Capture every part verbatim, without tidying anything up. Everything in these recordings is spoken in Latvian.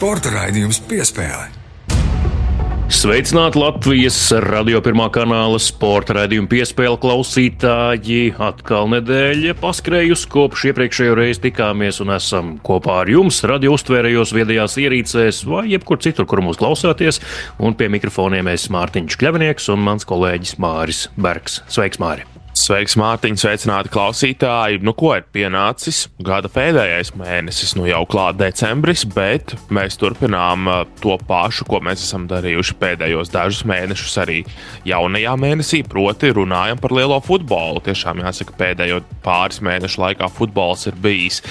Sporta raidījums Piespēle. Sveicināti Latvijas radio pirmā kanāla sporta raidījuma Piespēle klausītāji. Atkal nedēļa paskrējusi, kopš iepriekšējo reizi tikāmies un esam kopā ar jums radio uztvērējos viedajās ierīcēs vai jebkur citur, kur mūs klausāties. Un pie mikrofoniem es Mārtiņš Kļavinieks un mans kolēģis Māris Bergs. Sveiks, Māri! Sveiks, Mārtiņ, sveicināti klausītāji. Nu, ko ir pienācis gada pēdējais mēnesis, nu jau klāt decembris, bet mēs turpinām to pašu, ko mēs esam darījuši pēdējos dažus mēnešus arī jaunajā mēnesī, proti runājam par lielo futbolu. Tiešām jāsaka, pēdējo pāris mēnešu laikā futbols ir bijis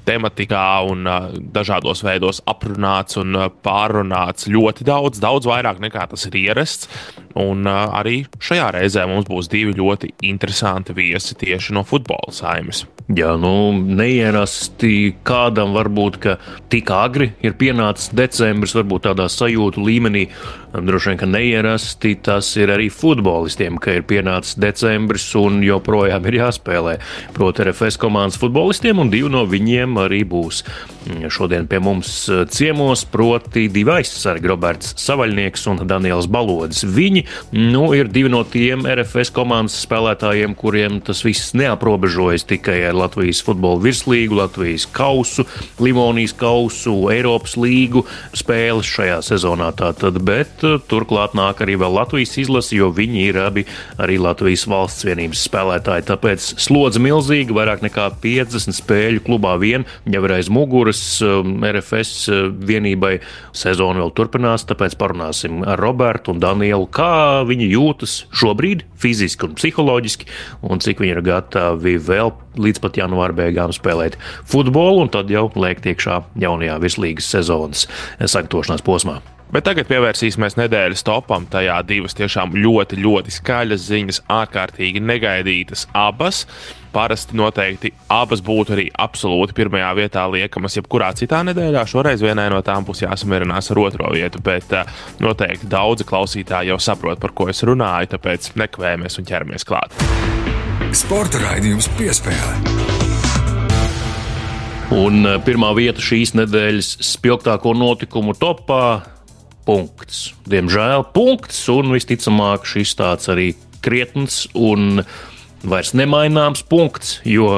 tematikā un uh, dažādos veidos aprunāts un uh, pārrunāts ļoti daudz, daudz vairāk nekā tas ir ierasts. Un uh, arī šajā reizē mums būs divi ļoti interesanti viesi tieši no futbola saimes. Jā, nu, neierasti kādam varbūt, ka tik agri ir pienācis decembris, varbūt tādā sajūtu līmenī. Droši vien, ka neierasti tas ir arī futbolistiem, ka ir pienācis decembris un joprojām ir jāspēlē. Proti R F S komandas futbolistiem, un divi no viņiem arī būs šodien pie mums ciemos, proti divi aizsargi, Roberts Savaļnieks un Daniels Balodis. Viņi, nu, ir divi no tiem R F S komandas spēlētājiem, kuriem tas viss neaprobežojas tikai ar Latvijas futbola virslīgu, Latvijas kausu, Livonijas kausu, Eiropas līgu spēles šajā sezonā tātad, bet turklāt nāk arī vēl Latvijas izlase, jo viņi ir abi arī Latvijas valsts vienības spēlētāji. Tāpēc slodze milzīga, vairāk nekā piecdesmit spēļu klubā vien, jau ir aiz muguras R F S vienībai. Sezona vēl turpinās, tāpēc parunāsim ar Robertu un Danielu, kā viņi jūtas šobrīd fiziski un psiholoģiski, un cik viņi ir gatavi vēl līdz pat janvāra beigām spēlēt futbolu, un tad jau lēkt iekšā jaunajā virslīgas sezonas sagatavošanās posmā. Bet tagad pievērsīsimies nedēļas topam. Tajā divas tiešām ļoti, ļoti skaļas ziņas, ārkārtīgi negaidītas abas. Parasti noteikti abas būtu arī absolūti pirmajā vietā liekamas jebkurā citā nedēļā. Šoreiz vienai no tām būs jāsamierinās ar otro vietu, bet uh, noteikti daudzi klausītāji jau saprot, par ko es runāju, tāpēc nekavējamies un ķeramies klāt. Sporta raidījums Piespēle. Un pirmā vieta šīs nedēļas spilgtāko notikumu topā – punkts. Diemžēl punkts, un visticamāk šis tāds arī krietns un vairs nemaināms punkts, jo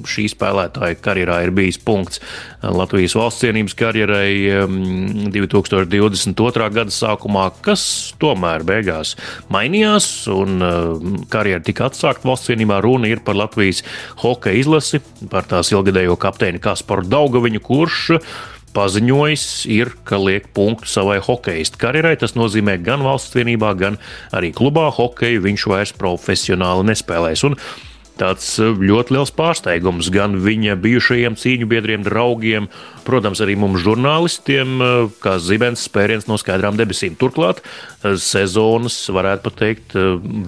šī spēlētāja karjerā ir bijis punkts Latvijas valsts cienības karjerai divi tūkstoši divdesmit otrā gada sākumā, kas tomēr beigās mainījās, un karjera tika atsākt valsts cienībā. Runa ir par Latvijas hokeja izlasi, par tās ilgadējo kapteini Kasparu Daugaviņu, kurš paziņojis ir, ka liek punktu savai hokeistu karjerai. Tas nozīmē gan valsts vienībā, gan arī klubā hokeju viņš vairs profesionāli nespēlēs. Un tāds ļoti liels pārsteigums gan viņa bijušajiem cīņu biedriem, draugiem, protams, arī mums žurnālistiem, kā zibens spēriens no skaidrām debesīm. Turklāt sezonas, varētu pateikt,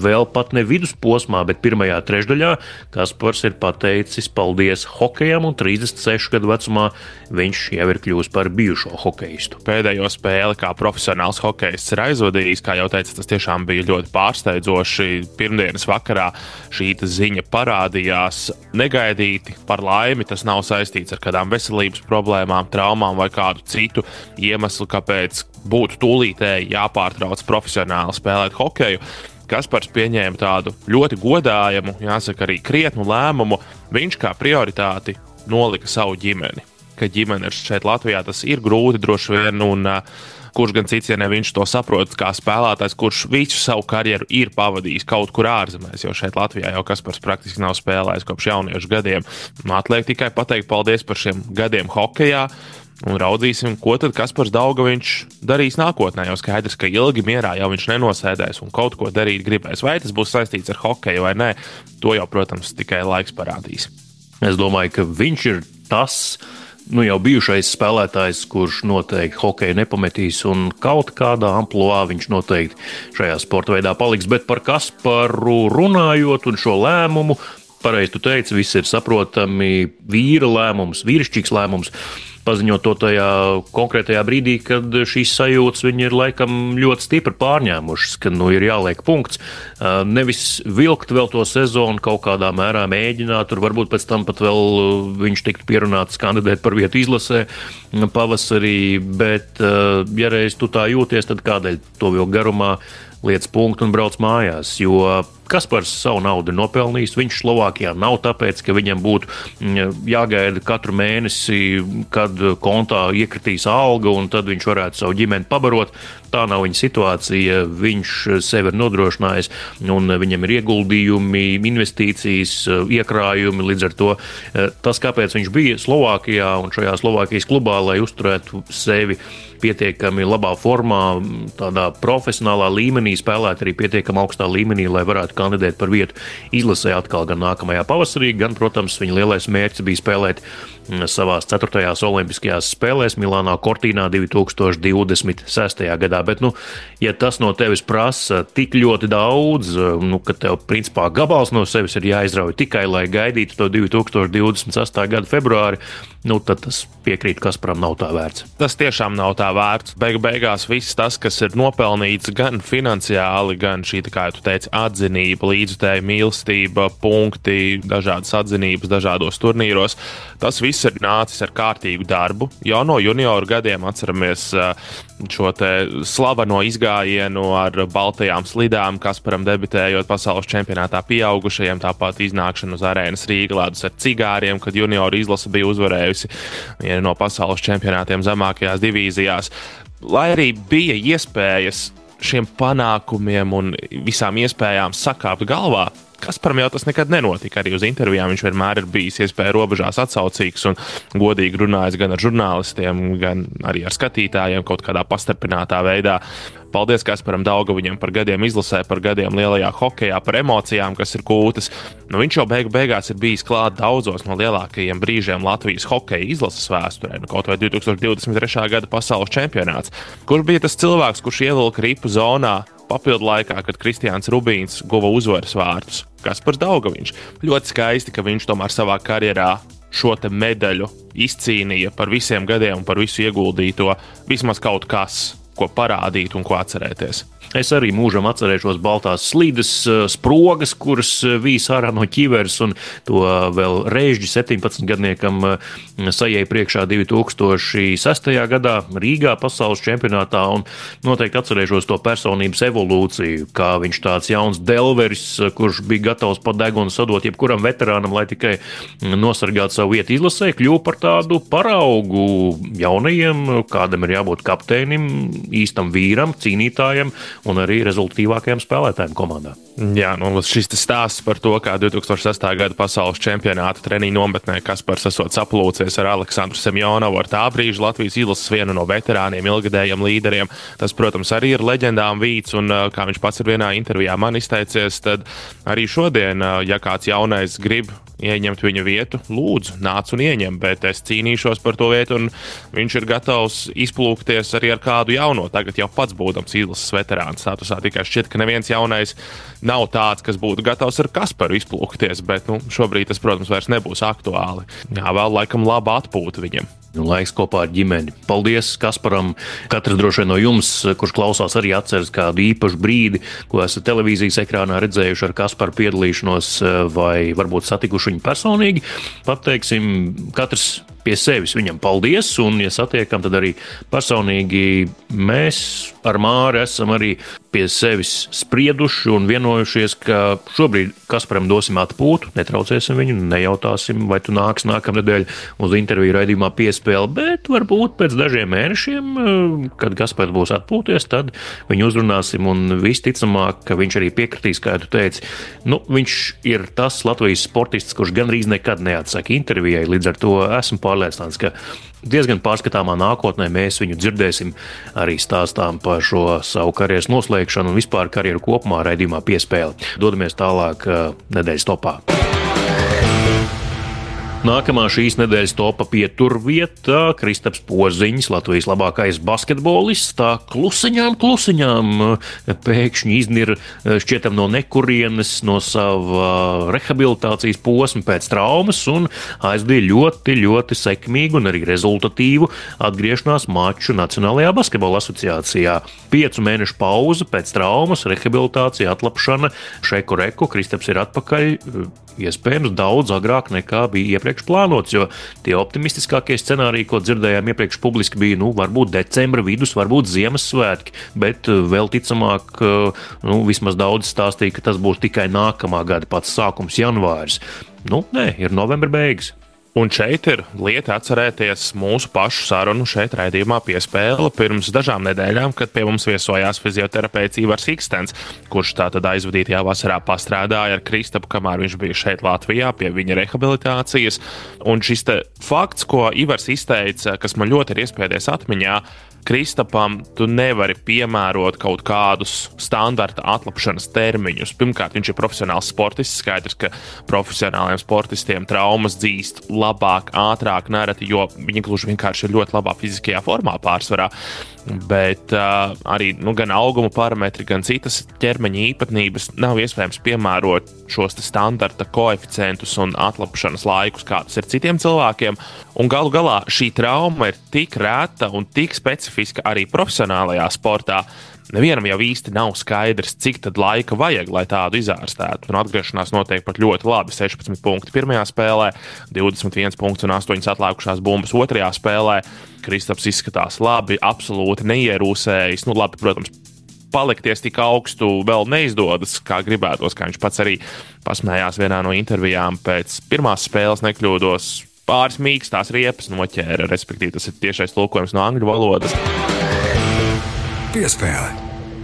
vēl pat ne vidusposmā, bet pirmajā trešdaļā Kaspars ir pateicis paldies hokejam, un trīsdesmit sešu gadu vecumā viņš jau ir kļūst par bijušo hokeistu. Pēdējo spēli kā profesionāls hokejists ir aizvadījis, kā jau teicu, tas tiešām bija ļoti pārsteidzoši. Pirmdienas vakarā šī ziņa parādījās negaidīti. Par laimi tas nav saistīts ar kādām veselības problēmām, traumām vai kādu citu iemeslu, kāpēc būtu tūlītēji jāpārtrauc profesionāli spēlēt hokeju. Kaspars pieņēma tādu ļoti godājamu, jāsaka arī krietnu lēmumu. Viņš kā prioritāti nolika savu ģimeni. Ka ģimene ir šeit Latvijā, tas ir grūti droši vien, un uh, kurš gan cits, ja ne viņš to saprot kā spēlētājs, kurš visu savu karjeru ir pavadījis kaut kur ārzemēs, jo šeit Latvijā jau Kaspars praktiski nav spēlējis kopš jauniešu gadiem. Atliek tikai pateikt paldies par šiem gadiem hokejā, un raudzīsim, ko tad Kaspars Daugaviņš darīs nākotnē. Jau skaidrs, ka ilgi mierā jau viņš nenosēdēs un kaut ko darīt gribēs. Vai tas būs saistīts ar hokeju vai nē, to jau, protams, tikai laiks parādīs. Es domāju, ka viņš ir tas, nu jau bijušais spēlētājs, kurš noteikti hokeju nepametīs, un kaut kādā amploā viņš noteikti šajā sporta veidā paliks. Bet par Kasparu runājot un šo lēmumu, pareizi tu teici, viss ir saprotami, vīra lēmums, vīrišķīgs lēmums. Paziņot to tajā konkrētajā brīdī, kad šīs sajūtas viņi ir laikam ļoti stipri pārņēmušas, ka nu ir jāliek punkts. Nevis vilkt vēl to sezonu, kaut kādā mērā mēģināt, tur varbūt pēc tam pat vēl viņš tiktu pierunāts kandidēt par vietu izlasē pavasarī, bet ja reiz tu tā jūties, tad kādēļ to vilkt garumā, liec punktu un brauc mājās, jo Kaspars savu naudu ir nopelnījis. Viņš Slovākijā nav tāpēc, ka viņam būtu jāgaida katru mēnesi, kad kontā iekritīs alga un tad viņš varētu savu ģimeni pabarot. Tā nav viņa situācija. Viņš sevi ir nodrošinājis un viņam ir ieguldījumi, investīcijas, iekrājumi. Līdz ar to tas, kāpēc viņš bija Slovākijā un šajā Slovākijas klubā, lai uzturētu sevi pietiekami labā formā, tādā profesionālā līmenī, spēlēt arī pietiekami augstā līmenī, lai varētu kandidēt par vietu izlasē atkal gan nākamajā pavasarī, gan, protams, viņa lielais mērķis bija spēlēt savās ceturtajās olimpiskajās spēlēs Milānā Cortīnā divi tūkstoši divdesmit sestajā gadā. Bet, nu, ja tas no tevis prasa tik ļoti daudz, nu, ka tev, principā, gabals no sevis ir jāizrauj tikai, lai gaidītu to divi tūkstoši divdesmit sestā gada februāri, nu, tad tas piekrīt Kasparam nav tā vērts. Tas tiešām nav tā vērts. Beigu beigās viss tas, kas ir nopelnīts gan finansiāli, gan šī, kā tu teici, atzinība, līdzjutēja mīlestība, punkti, dažādas atzinības, dažādos turnīros, tas viss ir nācis ar kārtīgu darbu. Jau no junioru gadiem atceramies šo te slaveno izgājienu ar baltajām slidām, Kasparam debitējot pasaules čempionātā pieaugušajiem, tāpat iznākšanu uz arēnas Rīga ledus ar cigāriem, kad junioru izlase bija uzvarējusi vienu no pasaules čempionātiem zemākajās divīzijās. Lai arī bija iespējas šiem panākumiem un visām iespējām sakāpt galvā, Kasparam jau tas nekad nenotika. Arī uz intervijām viņš vienmēr ir bijis iespēja robežās atsaucīgs un godīgi runājis gan ar žurnālistiem, gan arī ar skatītājiem kaut kādā pastarpinātā veidā. Paldies Kasparam Daugaviņam par gadiem izlasē, par gadiem lielajā hokejā, par emocijām, kas ir kūtas. Nu, viņš jau beigu beigās ir bijis klāt daudzos no lielākajiem brīžiem Latvijas hokeja izlases vēsturē, nu, kaut vai divi tūkstoši divdesmit trešā gada pasaules čempionāts. Kurš bija tas cilvēks, kurš ievilka ripu zonā papildu laikā, kad Kristiāns Rubīns guva uzvaras vārtus? Kaspars Daugaviņš. Ļoti skaisti, ka viņš tomēr savā karjerā šo te medaļu izcīnīja par visiem gadiem un par visu ieguldīto, vismaz kaut kas, ko parādīt un ko atcerēties. Es arī mūžam atcerēšos baltās slīdes, sprogas, kuras vīs ārā no ķiveres, un to vēl Reižģi septiņpadsmitgadniekam sajēja priekšā divi tūkstoši sestajā gadā Rīgā pasaules čempionātā, un noteikti atcerēšos to personības evolūciju, kā viņš tāds jauns delveris, kurš bija gatavs pa degunu sadot jebkuram veterānam, lai tikai nosargātu savu vietu izlasē, kļuva par tādu paraugu jaunajiem, kādam ir jābūt kapteinim, īstam vīram, cīnītājam, un arī rezultatīvākajiem spēlētājiem komandā. Jā, nu šis stāsts par to, kā divi tūkstoši sestā gada pasaules čempionāta treniņu nometnē Kaspars esot saplūcies ar Aleksandru Semjonovu, ar tā brīža Latvijas izlases vienu no veterāniem, ilgadējiem līderiem. Tas, protams, arī ir leģendām vīts, un kā viņš pats ir vienā intervijā man izteicies, tad arī šodien, ja kāds jaunais grib ieņemt viņa vietu, lūdzu, nāc un ieņem, bet es cīnīšos par to vietu, un viņš ir gatavs izplūkties arī ar kādu jauno, tagad jau pats būdams izlases veterāns statusā. Tikai šķiet, ka neviens jaunais nav tāds, kas būtu gatavs ar Kasparu izplūkties, bet nu, šobrīd tas, protams, vairs nebūs aktuāli. Jā, vēl laikam laba atpūta viņam. Nu, laiks kopā ar ģimeni. Paldies Kasparam. Katrs droši vien no jums, kurš klausās, arī atceras kādu īpašu brīdi, ko esat televīzijas ekrānā redzējuši ar Kasparu piedalīšanos vai varbūt satikuši viņu personīgi. Pateiksim, katrs pie sevis viņam paldies, un, ja satiekam, tad arī personīgi mēs ar Māri esam arī pie sevis sprieduši un vienojušies, ka šobrīd Kasparam dosim atpūtu, netraucēsim viņu, nejautāsim, vai tu nāks nākamnedēļ uz interviju raidījumā piespēli, bet varbūt pēc dažiem mēnešiem, kad Kaspars būs atpūties, tad viņu uzrunāsim, un visticamāk, ka viņš arī piekritīs, kā tu teici. Nu, viņš ir tas Latvijas sportists, kurš gandrīz nekad neatsaka intervijai, līdz ar to esmu pārliecināts, ka diezgan pārskatāmā nākotnē mēs viņu dzirdēsim arī stāstām par šo savu karjeras noslēgšanu un vispār karjeru kopumā raidījumā piespēli. Dodamies tālāk nedēļas topā. Nākamā šīs nedēļas topa pieturvieta Kristaps Poziņš, Latvijas labākais basketbolists, tā klusiņām, klusiņām pēkšņi iznir šķietam no nekurienes, no sava rehabilitācijas posma pēc traumas un aizdīja ļoti, ļoti sekmīgu un arī rezultatīvu atgriešanās maču Nacionālajā basketbola asociācijā. Piecu mēnešu pauze pēc traumas, rehabilitācija, atlapšana, šeku reku, Kristaps ir atpakaļ, iespējams daudz agrāk nekā bija iepriekš plānots, jo tie optimistiskākie scenāriji, ko dzirdējām iepriekš publiski, bija, nu, varbūt decembra vidus, varbūt Ziemassvētki, bet vēl ticamāk, nu, vismaz daudz stāstīja, ka tas būs tikai nākamā gada pats sākums, janvāris. Nu, nē, ir novembra beigas. Un šeit ir lieta atcerēties mūsu pašu sarunu šeit raidījumā Piespēle pirms dažām nedēļām, kad pie mums viesojās fizioterapeits Ivars Ikstens, kurš tātad aizvadītajā vasarā pastrādāja ar Kristapu, kamēr viņš bija šeit Latvijā pie viņa rehabilitācijas. Un šis te fakts, ko Ivars izteica, kas man ļoti ir iespēdies atmiņā, Kristapam tu nevari piemērot kaut kādus standarta atlapšanas termiņus. Pirmkārt, viņš ir profesionāls sportists, skaidrs, ka profesionāliem sportistiem traumas dzīst labāk, ātrāk, nereti, jo viņi gluži vienkārši ir ļoti labā fiziskajā formā pārsvarā. Bet uh, arī nu, gan auguma parametri, gan citas ķermeņa īpatnības nav iespējams piemērot šos standarta koeficientus un atlapšanas laikus, kādus ir citiem cilvēkiem. Un galu galā šī trauma ir tik reta un tik specifiska arī profesionālajā sportā. Nevienam jau īsti nav skaidrs, cik tad laika vajag, lai tādu izārstētu. Un atgriešanās notiek pat ļoti labi. sešpadsmit punkti pirmajā spēlē, divdesmit viens punkts un astoņas atlikušās bumbas otrajā spēlē. Kristaps izskatās labi, absolūti neierūsējis. Nu, labi, protams, palikties tik augstu vēl neizdodas, kā gribētos, kā viņš pats arī pasmējās vienā no intervijām pēc pirmās spēles, nekļūdos. Pāris mīkstās riepas noķēra, respektīvi tas ir tiešais tulkojums no angļu valodas. Piespēle.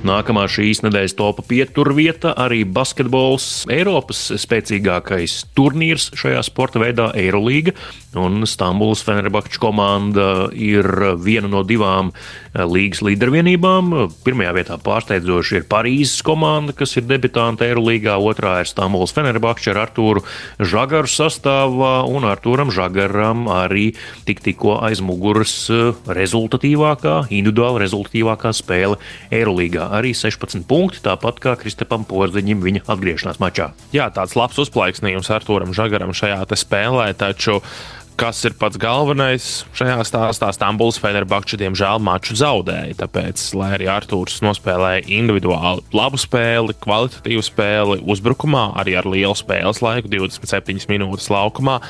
Nākamā šīs nedēļas topa pieturvieta arī basketbols, Eiropas spēcīgākais turnīrs šajā sporta veidā Eirolīga, un Stambulas Fenerbahča komanda ir viena no divām līgas līdervienībām. Pirmajā vietā pārsteidzoši ir Parīzes komanda, kas ir debitanta Eirolīgā, otrā ir Stambulas Fenerbahča ar Artūru Žagaru sastāvā, un Artūram Žagaram arī tik tikko aiz muguras rezultatīvākā, individuāli rezultatīvākā spēle Eirolīgā. Arī sešpadsmit punkti, tāpat kā Kristapam Poziņam viņa atgriešanās mačā. Jā, tāds labs uzplaiksnījums Artūram Žagaram šajā te spēlē, taču kas ir pats galvenais šajā stāstā, Stambulas Fenerbahča diemžēl maču zaudēja, tāpēc, lai arī Artūrs nospēlēja individuāli labu spēli, kvalitatīvu spēli uzbrukumā, arī ar lielu spēles laiku, divdesmit septiņas minūtes laukumā,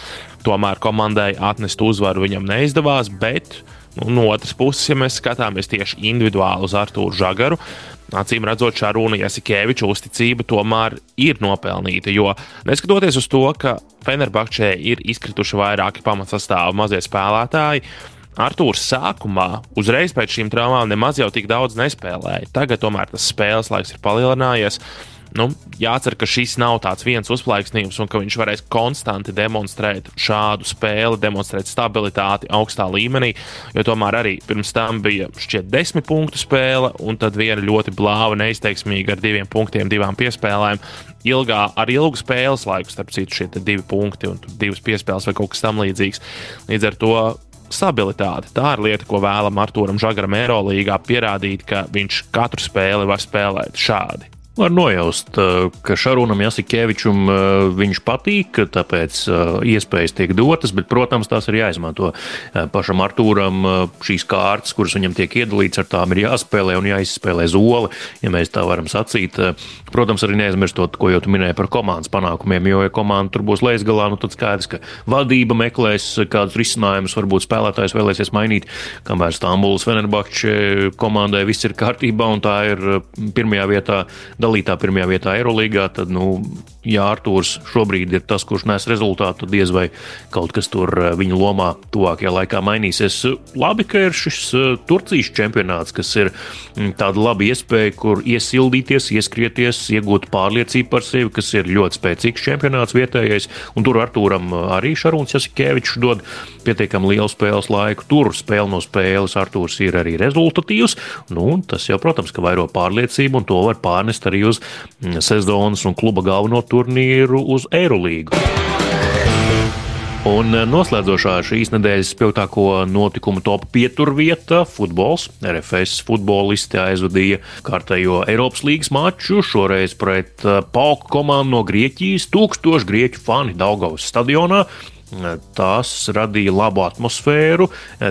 tomēr komandai atnest uzvaru viņam neizdevās, bet nu, no otras puses, ja mēs skatāmies tieši individuāli uz Artūru Žagaru, acīm redzot, Šarūna Jasikeviča uzticība tomēr ir nopelnīta, jo neskatoties uz to, ka Fenerbahčē ir izkrituši vairāki pamatsastāvu mazie spēlētāji, Artūrs sākumā uzreiz pēc šīm traumām nemaz jau tik daudz nespēlēja. Tagad tomēr tas spēles laiks ir palielinājies. Nu, jācer, ka šis nav tāds viens uzplaiksnījums un ka viņš varēs konstanti demonstrēt šādu spēli, demonstrēt stabilitāti augstā līmenī, jo tomēr arī pirms tam bija šķiet desmit punktu spēle un tad viena ļoti blāva, neizteiksmīga ar diviem punktiem, divām piespēlēm. Ilgā, ar ilgu spēles laiku, starp citu, šie divi punkti un divas piespēles vai kaut kas tam līdzīgs. Līdz ar to stabilitāte. Tā ir lieta, ko vēlam Artūram Žagaram Eirolīgā pierādīt, ka viņš katru spēli var spēlēt šādi. Var nojaust, ka Šarūnam Jasikevičam viņš patīk, tāpēc iespējas tiek dotas, bet, protams, tās ir jāizmanto. Pašam Artūram šīs kārtas, kuras viņam tiek iedalīts, ar tām ir jāspēlē un jāizspēlē zoli, ja mēs tā varam sacīt. Protams, arī neaizmirstot, ko jau tu minēji par komandas panākumiem, jo, ja komanda tur būs leisgalā, nu tad skaidrs, ka vadība meklēs kādus risinājumus, varbūt spēlētājs vēlēsies mainīt, kamēr Stambulas Fenerbahča komandai viss ir kārtībā un tā ir pirmajā vietā dalītā pirmajā vietā Eirolīgā, tad, nu, ja Artūrs šobrīd ir tas, kurš nes rezultātu, tad diez vai kaut kas tur viņa lomā tuvākajā laikā mainīsies. Labi, ka ir šis Turcijas čempionāts, kas ir tāda laba iespēja, kur iesildīties, ieskrieties, iegūt pārliecību par sevi, kas ir ļoti spēcīgs čempionāts vietējais, un tur Artūram arī Šarūns Jasikevičs dod pietiekami lielu spēles laiku. Tur spēle no spēles Artūrs ir arī rezultatīvs, nu, tas jau, protams, ka vairo pārliecību, un to var pārnest arī uz sezonas un kluba galveno turnīru uz Eirolīgu. Un noslēdzošā šīs nedēļas spilgtāko notikumu top pieturvieta - futbols. R F S futbolisti aizvadīja kārtējo Eiropas līgas maču, šoreiz pret PAOK komandu no Grieķijas. Tūkstoši grieķu fani Daugavas stadionā. Tās radīja labu atmosfēru.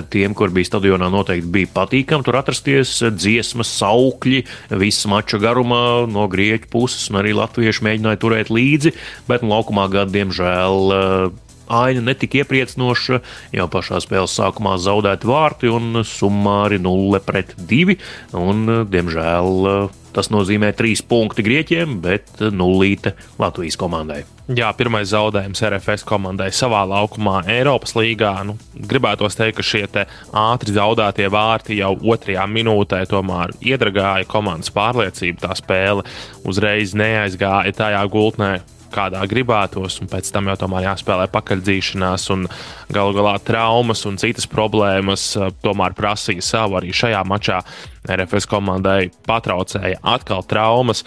Tiem, kur bija stadionā, noteikti bija patīkami tur atrasties. Dziesmas, saukļi, viss mača garumā no grieķu puses, un arī latvieši mēģināja turēt līdzi, bet nu, laukumā gadu, diemžēl, aina netika iepriecinoša. Jau pašā spēles sākumā zaudēti vārti un summāri nulle pret divi, un, diemžēl, tas nozīmē trīs punkti grieķiem, bet nullīte Latvijas komandai. Jā, pirmais zaudējums R F S komandai savā laukumā Eiropas līgā. Nu, gribētos teikt, ka šie te ātri zaudētie vārti jau otrajā minūtē tomēr iedragāja komandas pārliecību. Tā spēle uzreiz neaizgāja tajā gultnē, kādā gribētos, un pēc tam jau tomēr jāspēlē pakaļdzīšanās, un galu galā traumas un citas problēmas tomēr prasīja savu. Arī šajā mačā R F S komandai patraucēja atkal traumas,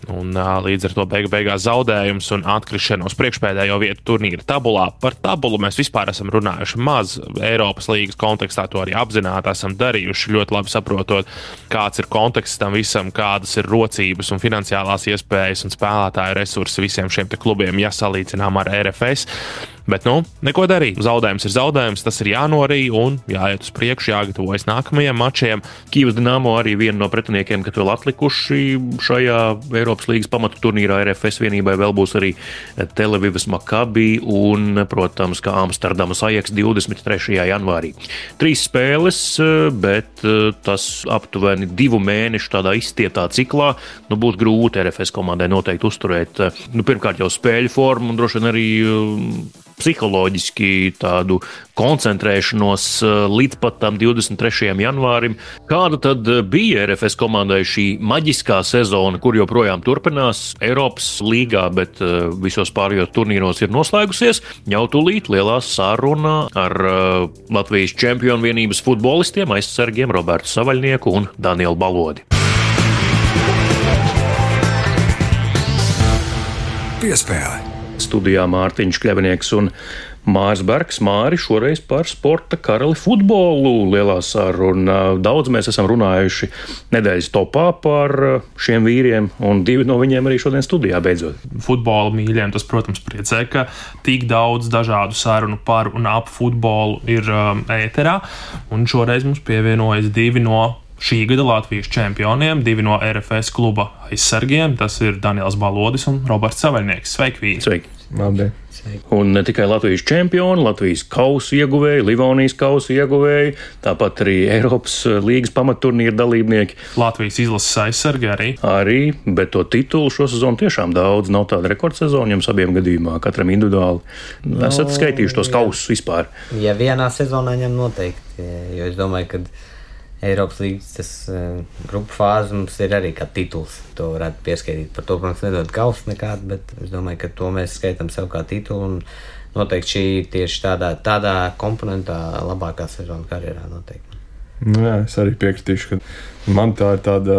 un līdz ar to beigu beigās zaudējums un atkrišana uz priekšpēdējo vietu turnīra tabulā. Par tabulu mēs vispār esam runājuši maz Eiropas līgas kontekstā, to arī apzināti esam darījuši, ļoti labi saprotot, kāds ir konteksts tam visam, kādas ir rocības un finansiālās iespējas un spēlētāju resursi visiem šiem te klubiem, ja salīdzinām ar R F S. Bet, nu, neko darīt. Zaudējums ir zaudējums, tas ir jānorī un jāiet uz priekšu, jāgatavojas nākamajiem mačiem. Kīvas Dinamo arī viena no pretiniekiem, kad vēl atlikuši šajā Eiropas līgas pamatu turnīrā. R F S vienībai vēl būs arī Tel Avivas Maccabi un, protams, kā Amsterdamas Ajax divdesmit trešajā janvārī. Trīs spēles, bet tas aptuveni divu mēnešu tādā izstietā ciklā. Nu, būtu grūti R F S komandai noteikti uzturēt, nu, pirmkārt jau spēļu formu un droši vien arī psiholoģiski tādu koncentrēšanos līdz pat tam divdesmit trešajam janvārim. Kāda tad bija R F S komandai šī maģiskā sezona, kur joprojām turpinās Eiropas līgā, bet visos pārējos turnīros ir noslēgusies? Jau tūlīt lielā saruna ar Latvijas čempionu vienības futbolistiem, aizsargiem Robertu Savaļnieku un Danielu Balodi. Piespēle. Studijā Mārtiņš Kļavinieks un Māris Bergs. Māri, šoreiz par sporta karali futbolu lielā saruna. Daudz mēs esam runājuši nedēļas topā par šiem vīriem, un divi no viņiem arī šodien studijā beidzot. Futbola mīļiem tas, protams, priecē, ka tik daudz dažādu sarunu par un ap futbolu ir um, ēterā, un šoreiz mums pievienojas divi no šī gada Latvijas čempioniem, divi no R F S kluba aizsargiem. Tas ir Daniels Balodis un Roberts Savaļnieks. Sveiki, vīri! Sveiki! Labdien! Un ne tikai Latvijas čempioni, Latvijas kausa ieguvēji, Livonijas kausa ieguvēji, tāpat arī Eiropas līgas pamatturnīra dalībnieki. Latvijas izlases aizsargi arī. Arī, bet to titulu šo sezonu tiešām daudz. Nav tāda rekordsezona jums abiem gadījumā, katram individuāli. No, esat skaitījuši tos kausus vispār? Ja vienā sezonā ņem noteikti, jo es domāju, ka Eiropas līgas tas uh, grupu fāze mums ir arī kā tituls. To varētu pieskaitīt. Par to, protams, nedod kausu nekādu, bet es domāju, ka to mēs skaitam sev kā titulu. Un noteikti šī tieši tādā, tādā komponentā labākā sezona karjerā noteikti. Nu, jā, es arī piekritīšu, ka man tā ir tāda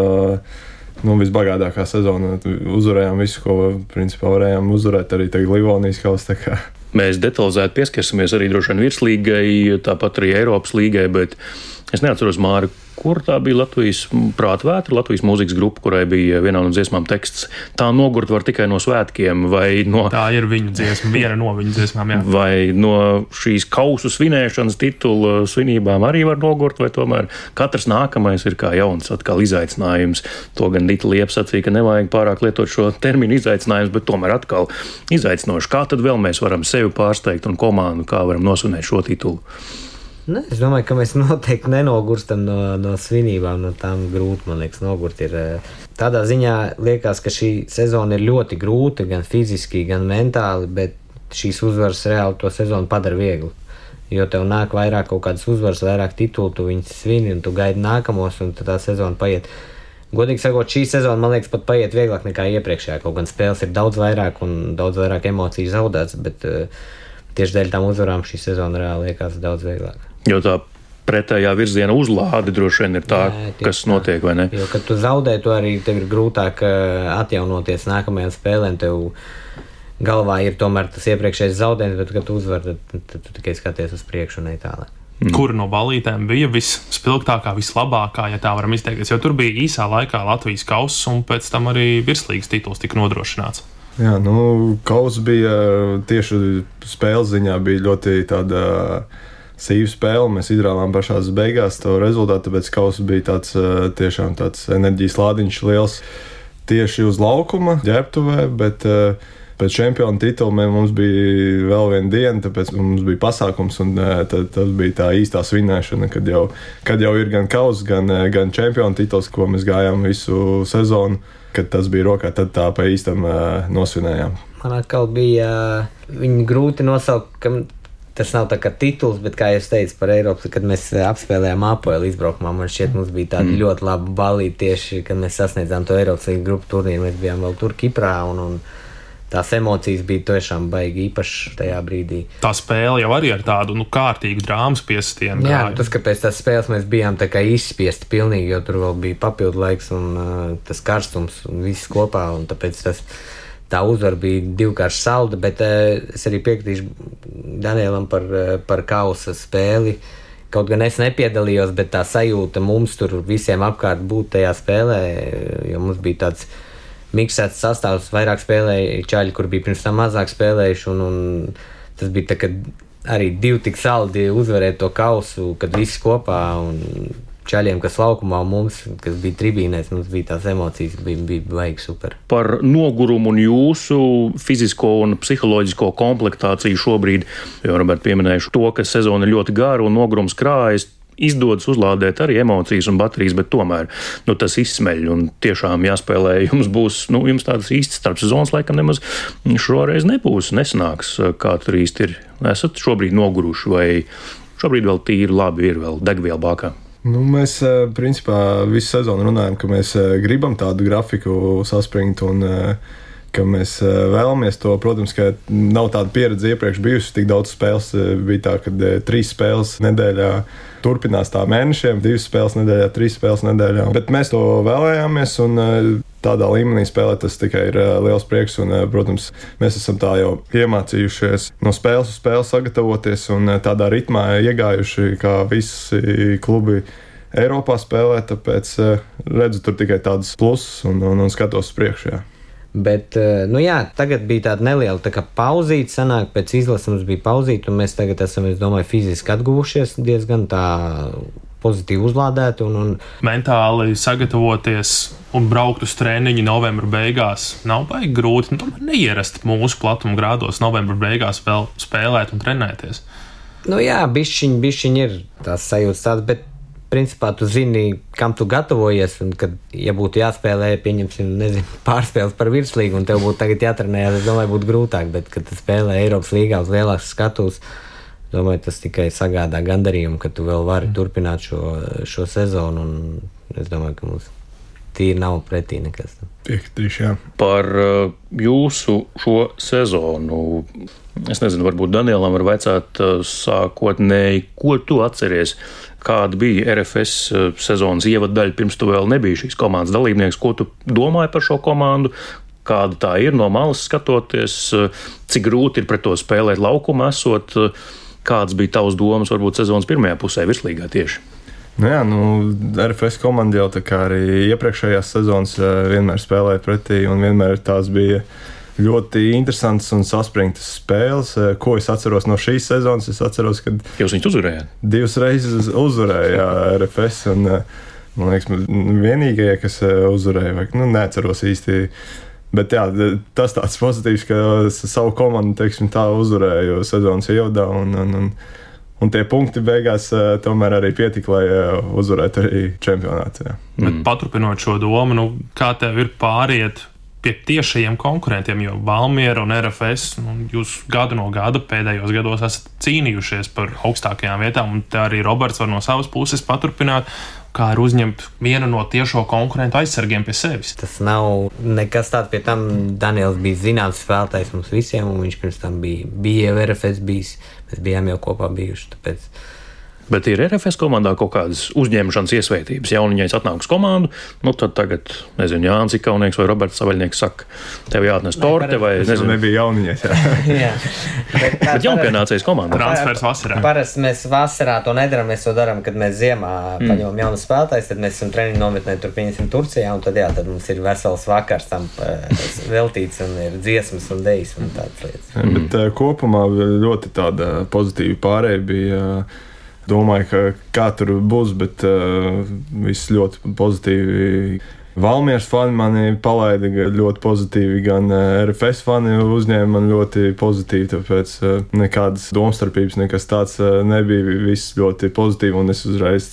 nu, visbagātākā sezona. Uzvarējām visu, ko principā varējām uzvarēt, arī tagad Livonijas kausa. Mēs detalizēti pieskarsimies arī droši vien virslīgai, tāpat arī Eiropas līgai, bet es neatceros, Māri, kur tā bija Latvijas prātvētra, Latvijas mūzikas grupa, kurai bija vienā no dziesmām teksts. Tā nogurt var tikai no svētkiem, vai no... Tā ir viņu dziesma, viena no viņu dziesmām, jā. Vai no šīs kausu svinēšanas titula svinībām arī var nogurt, vai tomēr katrs nākamais ir kā jauns atkal izaicinājums. To gan Dita Liepa sacīja, ka nevajag pārāk lietot šo terminu izaicinājums, bet tomēr atkal izaicinoši. Kā tad vēl mēs varam sevi pārsteigt un komandu, kā varam nosvinēt šo titulu? Ne, es domāju, ka mēs noteikti nenogurstam no, no svinībām, no tām grūti, man liekas, nogurt ir. Tādā ziņā liekas, ka šī sezona ir ļoti grūta, gan fiziski, gan mentāli, bet šīs uzvaras reāli to sezonu padara viegli. Jo tev nāk vairāk kaut kādas uzvaras, vairāk titulu, tu viņus svini un tu gaidi nākamos, un tā sezona paiet. Godīgi sakot, šī sezona, man liekas, pat paiet vieglāk nekā iepriekšējā. Kaut gan spēles ir daudz vairāk un daudz vairāk emociju zaudēts, bet uh, tieši dēļ tām uzvarām šī sezona reāli liekas daudz vieglāk. Jo tā pretējā virziena uzlāde droši vien ir tā, jā, kas tā notiek, vai ne? Jo, kad tu zaudē, tu arī tev ir grūtāk atjaunoties nākamajām spēlēm, tev galvā ir tomēr tas iepriekšējais zaudējums, bet, kad tu uzvar, tad, tad, tad tu tikai skaties uz priekšu un ne tālāk. Mm. Kura no balītēm bija visspilgtākā, vislabākā, ja tā varam izteikties? Jo tur bija īsā laikā Latvijas kauss, un pēc tam arī virslīgas tituls tika nodrošināts. Jā, nu, kauss bija tieši spēles ziņā bija ļoti tāda sīva spēle. Mēs izrāvām pašās beigās to rezultātu, tāpēc kauss bija tāds tiešām tāds enerģijas lādiņš liels tieši uz laukuma, ģērbtuvē, bet pēc čempionu titula mums bija vēl viena diena, tāpēc mums bija pasākums, un tad, tas bija tā īstā svinēšana, kad jau, kad jau ir gan kauss, gan, gan čempionu tituls, ko mēs gājām visu sezonu, kad tas bija rokā, tad tā pa īstam nosvinējām. Man atkal bija viņi grūti nosaukt, ka tas nav tā kā tituls, bet, kā jūs teicu par Eiropas, kad mēs apspēlējām Apoelu izbraukumā, man šķiet, mums bija tāda mm. ļoti laba balīte tieši, kad mēs sasniedzām to Eiropas līgas grupu turnīru, mēs bijām vēl tur Kiprā, un, un tās emocijas bija tiešām baigi īpašas tajā brīdī. Tā spēle jau arī ar tādu nu, kārtīgu drāmas piesitienu. Jā, tas, ka pēc tās spēles mēs bijām tā kā izspiesti pilnīgi, jo tur vēl bija papildu laiks un uh, tas karstums un viss kopā, un tāpēc tas, tā uzvara bija divkārši salda, bet uh, es arī piekritīšu Danielam par, uh, par kausa spēli. Kaut gan es nepiedalījos, bet tā sajūta mums tur visiem apkārt būt tajā spēlē, jo mums bija tāds miksēts sastāvs, vairāk spēlēja čaļi, kur bija pirms tam mazāk spēlējuši, un, un tas bija tā, ka arī divi tik saldi uzvarēt to kausu, kad visi kopā, un čaļiem, kas laukumā, un mums, kas bija tribīnēs, mums bija tās emocijas, bija, bija baigi super. Par nogurumu un jūsu fizisko un psiholoģisko komplektāciju šobrīd, jo Robert pieminējuši to, ka sezona ir ļoti gara un nogurums krājas, izdodas uzlādēt arī emocijas un baterijas, bet tomēr nu, tas izsmeļ un tiešām jāspēlē. Jums būs, nu, jums tādas īstas starpsezonas laikam nemaz šoreiz nebūs, nesanāks, kā tur īsti ir. Esat šobrīd noguruši vai šobrīd vēl tīri labi ir, vēl degviela bākā? Nu, mēs, principā, visu sezonu runājam, ka mēs gribam tādu grafiku saspringt un ka mēs vēlamies to. Protams, ka nav tāda pieredze iepriekš bijusi, tik daudz spēles bija tā, ka trīs spēles nedēļā turpinās tā mēnešiem, divas spēles nedēļā, trīs spēles nedēļā. Bet mēs to vēlējāmies un tādā līmenī spēlēt tas tikai ir liels prieks un, protams, mēs esam tā jau iemācījušies no spēles uz spēli sagatavoties un tādā ritmā iegājuši, kā visi klubi Eiropā spēlē, tāpēc redzu tur tikai tādas pluses un, un, un skatos uz priekšu, jā. Bet, nu jā, tagad bija tāda neliela tā kā pauzīte, sanāk, pēc izlases mums bija pauzīte, un mēs tagad esam, es domāju, fiziski atguvušies diezgan tā pozitīvi uzlādēti. Un, un... Mentāli sagatavoties un braukt uz treniņu novembra beigās nav baigi grūti, nu tomēr neierast mūsu platuma grādos novembra beigās vēl spēlēt un trenēties. Nu jā, bišķiņ, bišķiņ ir tās sajūtas tādas, bet principā tu zini, kam tu gatavojies, un kad, ja būtu jāspēlē, pieņemsim, nezinu, pārspēles par virslīgu, un tev būtu tagad jātrenējās, es domāju, būtu grūtāk, bet, kad tu spēlē Eiropas līgā uz lielākas skatuves, domāju, tas tikai sagādā gandarījumu, ka tu vēl vari turpināt šo, šo sezonu, un es domāju, ka mums tīri nav pretī nekas. Piekritīšu, jā. Par uh, jūsu šo sezonu, es nezinu, varbūt Danielam var vaicāt uh, sākotnēji, ko tu atceries, kāda bija R F S uh, sezonas ievaddaļa, pirms tu vēl nebija šīs komandas dalībnieks, ko tu domāji par šo komandu, kāda tā ir no malas skatoties, uh, cik grūti ir pret to spēlēt laukumā esot, uh, kāds bija tavs domas varbūt sezonas pirmajā pusē virslīgā tieši? Nu jā, nu, R F S komanda jau tā kā arī iepriekšējās sezonas vienmēr spēlēja pretī, un vienmēr tās bija ļoti interesantas un saspringtas spēles. Ko es atceros no šīs sezonas? Es atceros, ka jūs viņus uzvarējāt? Divas reizes uzvarēja R F S, un man liekas, vienīgajie, kas uzvarēja, vai, nu, neatceros īsti. Bet jā, tas tāds pozitīvs, ka savu komandu, teiksim, tā uzvarēju sezonas ievadā, un, un, un Un tie punkti beigās uh, tomēr arī pietika, lai uh, uzvarētu arī čempionātā. Bet mm. paturpinot šo domu, nu, kā tev ir pāriet pie tiešajiem konkurentiem, jo Valmiera un R F S, nu, jūs gadu no gada pēdējos gados esat cīnījušies par augstākajām vietām, un te arī Roberts var no savas puses paturpināt, kā ir uzņemt vienu no tiešo konkurentu aizsargiem pie sevis. Tas nav nekas tāds, pie tam Daniels bija zināms spēlētājs mums visiem, un viņš pirms tam bija, bija jau R F S bijis, mēs bijām jau kopā bijuši, tāpēc Bet ir R F S komandā kaut kādas uzņemšanas iesvētības. Jauniņais atnāk uz komandu, nu tad tagad, nezinu, Jānis Ikaunieks vai Roberts Savaļnieks saka, tev jāatnes torte vai, nezinu. Nebija jauniņais, jā. jā. Bet, Bet jaunpienācējs komandā. Transfers vasarā. Parasti mēs vasarā to nedaram, mēs to darām, kad mēs ziemā mm. paņemam jaunu spēlētājs, tad mēs esam treniņu nometnē, tur pieņemsim Turcijā, un tad jā, tad mums ir vesels vakars tam veltīts, un ir dziesmas un dejas un tādas lietas. Mm. Bet uh, kopumā ļoti tāda pozitīva pārēja bija. Domāju, ka kā tur būs, bet uh, viss ļoti pozitīvi. Valmieras fani mani palaida ļoti pozitīvi, gan R F S fani uzņēma mani ļoti pozitīvi, tāpēc uh, nekādas domstarpības, nekas tāds uh, nebija, viss ļoti pozitīvi, un es uzreiz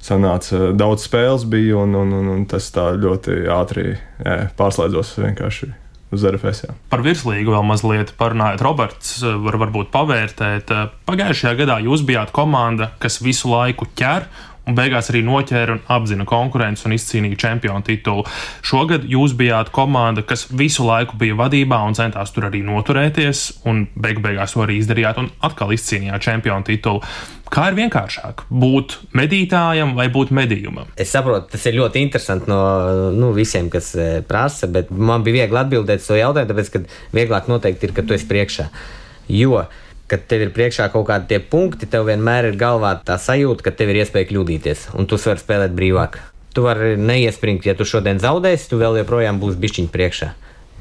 sanāca, daudz spēles bija, un, un, un, un tas tā ļoti ātri jā, pārslēdzos vienkārši. Uz R F S, jā. Par virslīgu vēl mazliet parunājot. Roberts var varbūt pavērtēt. Pagājušajā gadā jūs bijāt komanda, kas visu laiku ķer un beigās arī noķēra un apzina konkurences un izcīnīja čempionu titulu. Šogad jūs bijāt komanda, kas visu laiku bija vadībā un centās tur arī noturēties, un beig beigās to arī izdarījāt un atkal izcīnījāt čempionu titulu. Kā ir vienkāršāk būt medītājam vai būt medījumam? Es saprotu, tas ir ļoti interesanti no nu, visiem, kas prasa, bet man bija viegli atbildēt uz to jautājumu, tāpēc, ka vieglāk noteikti ir, ka tu esi priekšā. Jo, kad tev ir priekšā kaut kādi tie punkti, tev vienmēr ir galvā tā sajūta, ka tev ir iespēja kļūdīties, un tu vari spēlēt brīvāk. Tu vari neiespringt, ja tu šodien zaudēsi, tu vēl joprojām būsi bišķiņ priekšā.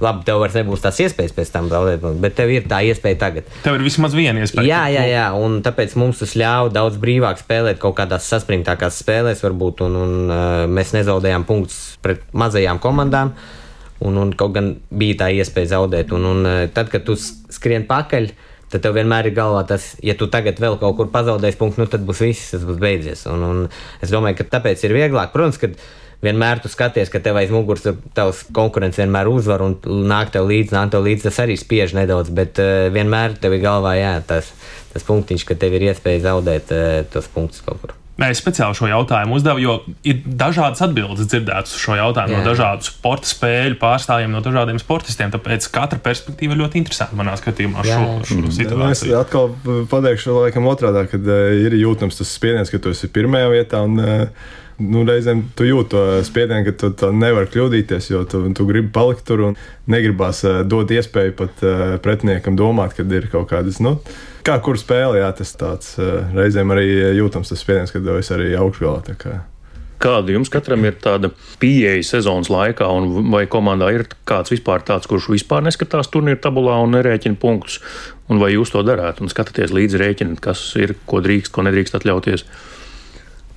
Labi, tev vairs nebūs tās iespējas pēc tam zaudēt, bet tev ir tā iespēja tagad. Tev ir vismaz viena iespēja. Jā, jā, jā, un tāpēc mums tas ļauj daudz brīvāk spēlēt kaut kādās saspringtākās spēlēs varbūt, un, un uh, mēs nezaudējām punktus pret mazajām komandām, un, un kaut gan bija tā iespēja zaudēt, un, un uh, tad, kad tu skrien pakaļ, tad tev vienmēr ir galvā tas, ja tu tagad vēl kaut kur pazaudēsi punktu, nu tad būs viss, tas būs beidzies, un, un es domāju, ka tāpēc ir vieglāk, protams, kad vienmēr tu skaties, ka tev aiz muguras tavs konkurents vienmēr uzvar un nāk tev līdzi, nāk tev līdzi, tas arī spiež nedaudz, bet uh, vienmēr tev ir galvā, jā, tas, tas punktiņš, ka tev ir iespēja zaudēt uh, tos punktus kaut kur. Es speciāli šo jautājumu uzdevu, jo ir dažādas atbildes dzirdētas uz šo jautājumu, jā. No dažādu sporta spēļu pārstāvjiem, no dažādiem sportistiem, tāpēc katra perspektīva ir ļoti interesanta manā skatījumā jā. šo, šo situāciju. Es atkal pateikšu laikam otrādā, kad uh, ir jūtams tas spiediens, ka tu esi pirmajā vietā un uh, Nu, reizēm tu jūti to spiedienu, ka tu, tu nevari kļūdīties, jo tu, tu gribi palikt tur un negribās uh, dot iespēju pat uh, pretiniekam domāt, kad ir kaut kādas, nu, kā kur spēle, jā, tas tāds uh, reizēm arī jūtams tas spiediens, kad es arī augšgalā. Tā kā. Kāda jums katram ir tāda pieeja sezonas laikā, un vai komandā ir kāds vispār tāds, kurš vispār neskatās turnīru tabulā un nerēķina punktus, un vai jūs to darāt un skatāties līdzi rēķināt, kas ir, ko drīkst, ko nedrīkst atļauties?